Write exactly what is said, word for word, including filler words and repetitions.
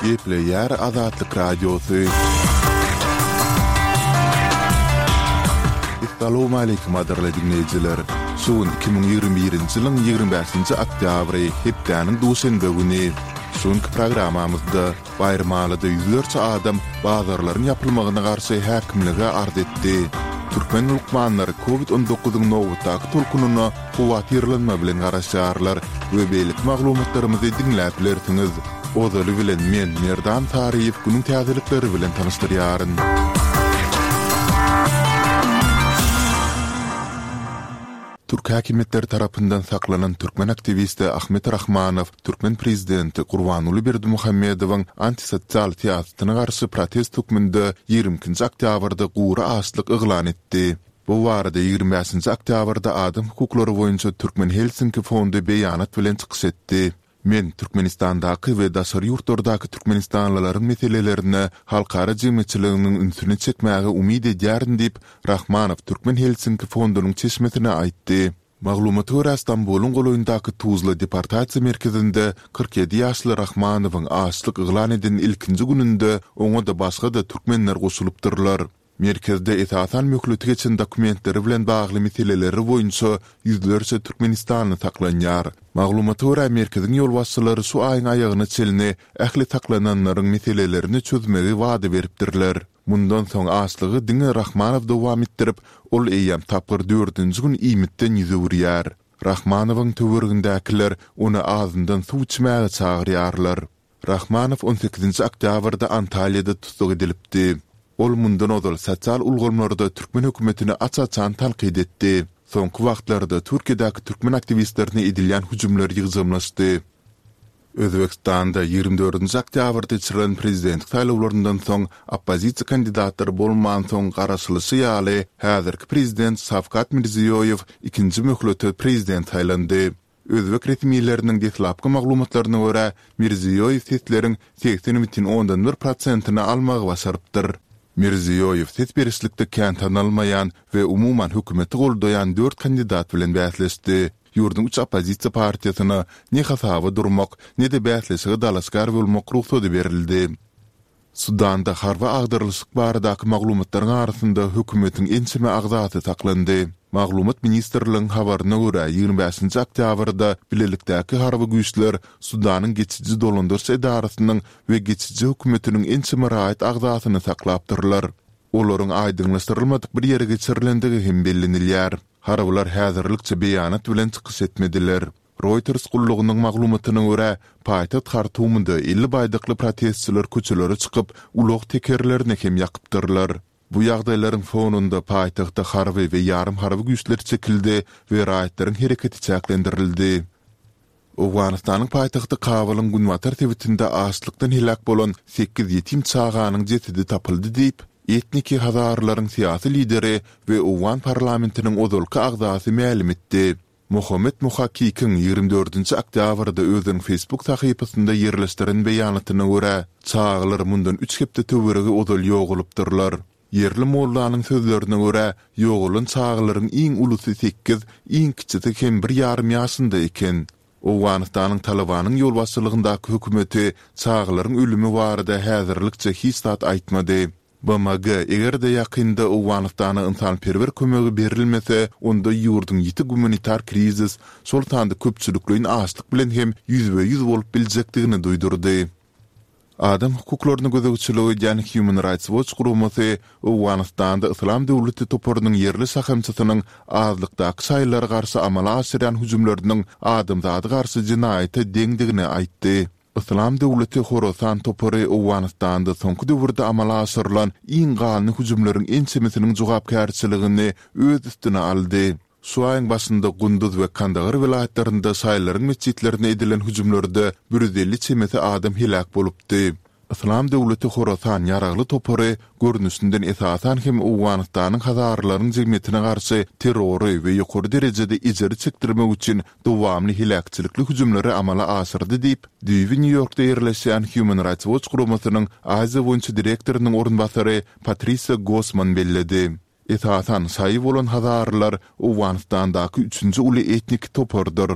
Gepleýär Azatlyk Radiosy. Essalawmaleýkim gadyrly diňleýjiler! Şu gün iki müň ýigrimi birinji ýylyň ýigrimi bäşinji oktýabry, hepdäniň duşenbe güni. Şu günki programmamyzda Baýramalyda ýüzlerçe adam bazarlaryň ýapylmagyna garşy häkimlige arz etdi. Türkmen lukmanlary Covid on dokuzyň nobatdaky tolkunyna howatyrlanma bilen garaşýarlar we beýleki maglumatlarymyzy diňläp bilersiňiz. Ozaly bilen men, Merdan Saryýew günüň täzelikleri bilen tanyşdyrýaryn. Türk häkimiýetleri tarapyndan saklanan türkmen aktiwisti Ahmet Rahmanow türkmen prezidenti Gurbanguly Berdimuhamedowyň antisosial syýasatyna garşy protest hökmünde ýigrimi ikinji oktýabrda gury açlyk yglan etdi. Bu barada ýigrimi bäşinji oktýabrda Adam hukuklary boýunça Türkmen Helsinki fondy beýanat bilen çykyş etdi. Men Türkmenistandaky we daşary ýurtlardaky türkmenistanlylaryň meselelerine halkara jemgyýetçiliginiň ünsüni çekmäge umyt edýärin diýip, Rahmanow Türkmen Helsinki fondunyň çeşmesine aýtdy. Maglumata görä, Stambulyň golaýyndaky Tuzla deportasiýa merkezinde kyrk ýedi ýaşly Rahmanowyň açlyk yglan eden ilkinji gününde oňa-da başga-da türkmenler goşulypdyrlar. Merkezde esasan möhleti geçen dokumentleri bilen bagly meseleleri boýunça ýüzlerçe türkmenistanly saklanýar. Maglumata görä, merkeziň ýolbaşçylary şu aýyň aýagyna çenli ähli saklananlaryň meselelerini çözmegi wada beripdirler. Mundan soň açlygy diňe Rahmanow dowam etdirip, ol eýýäm tapgyr dördünji gün iýmitden ýüz öwürýär. Rahmanowyň töweregindäkiler ony azyndan suw içmäge çagyrýarlar. Rahmanow on sekizinji oktýabrda Antalýada tussag edilipdi. Ol mundan ozal sosial ulgamlarda türkmen hökümetini aç-açan tankyt etdi. Soňky wagtlarda Türkiýedäki türkmen aktiwistlerine edilýän hüjümler ýygjamlaşdy. Özbegistanda ýigrimi dördünji oktýabrda geçirilen prezidentlik saýlawlaryndan soň oppozisiýa kandidatlary bolmansoň garaşylyşy ýaly häzirki prezident Şawkat Mirziýoýew ikinji möhlete prezident saýlandy. Özbek resmileriniň deslapky maglumatlaryna görä, Mirziýoýew sesleriň segsen bütin ondan bir prosentini almagy başarypdyr. Mirziýoýew ses berişlikde kän tanalmaýan we umuman hökümeti goldaýan dört kandidat bilen bäsleşdi. Ýurduň üç oppozisiýa partiýasyna ne hasaba durmak, ne-de bäsleşige dalaşgär bolmak rugsady berildi. Sudanda harby agdarylyşyk baradaky maglumatlaryň arasynda hökümetiň ençeme agzasy saklandy. Maglumat ministrligiň habaryna görä, ýigrimi bäşinji oktýabrda bilelikdäki harby güýçler Sudanyň geçiji dolandyryş edarasynyň we geçiji hökümetiniň ençeme raýat agzasyny saklapdyrlar. Olaryň aýdyňlaşdyrylmadyk bir ýere geçirilendigi hem bellenilýär. Harbylar häzirlikçe beýanat bilen çykyş etmediler. Reuters gullugynyň maglumatyna görä, paýtagt Hartumda elli baýdakly protestçiler köçelere çykyp, ulag tekerlerini hem ýakypdyrlar. Bu ýagdaýlaryň fonunda paýtagta harby we ýarym harby güýçler çekildi we raýatlaryň hereketi çäklendirildi. Owganystanyň paýtagty Kabulyň günbatar sebitinde açlykdan heläk bolan sekiz ýetim çaganyň jesedi tapyldy diýip, etniki hazarlaryň syýasy lideri we owgan parlamentiniň ozalky agzasy mälim etdi. Mohammed Muhakikiň ýigrimi dördünji oktýabrda özüniň Facebook sahypasynda ýerleşdiren beýanatyna görä, çagalar mundan üç hepde töweregi ozal ýogalypdyrlar. Ýerli mollanyň sözlerine görä, ýogalan çagalaryň iň ulusy sekiz, iň kiçisi hem bir ýarym ýaşynda eken. Owganystanyň Talybanyň ýolbaşçylygyndaky hökümeti çagalaryň ölümi barada häzirlikçe hiç zat aýtmady. B M G, eger-de ýakynda Owganystana ynsanperwer kömegi berilmese, onda ýurduň ýiti gumanitar krizis, şol sanda köpçülikleýin açlyk bilen hem ýüzbe-ýüz bolup biljekdigini duýdurdy. Adam hukuklaryna gözegçilik edýän Human Rights Watch guramasy Owganystanda Yslam döwleti toparynyň ýerli şahamçasynyň azlykdaky şaýylara garşy amala aşyrýan hüjümleriniň adamzada garşy jenaýata deňdigini aýtdy. Yslam döwleti Horasan topary Owganystanda soňky döwürde amala aşyrylan iň ganly hüjümleriň ençemesiniň jogapkärçiligini öz üstüne aldy. Şu aýyň başynda Gunduz we Kandahar welaýatlarynda şaýylaryň metjitlerine edilen hüjümlerde bir ýüz elli çemesi adam heläk bolupdy. Yslam döwleti Horasan ýaragly topary görnüşinden esasan hem Owganystanyň hazaralaryň jemgyýetine garşy terrory we ýokary derejede ejiri çekdirmek üçin dowamly heläkçilikli hüjümleri amala aşyrdy diýip, düýbi Nýu-Ýorkda ýerleşýän Human Rights Watch guramasynyň Aziýa boýunça direktorynyň orunbasary Patrisiýa Gossman belledi. Esasan şaýy bolan hazaralar Owganystandaky üçünji uly etnik topardyr.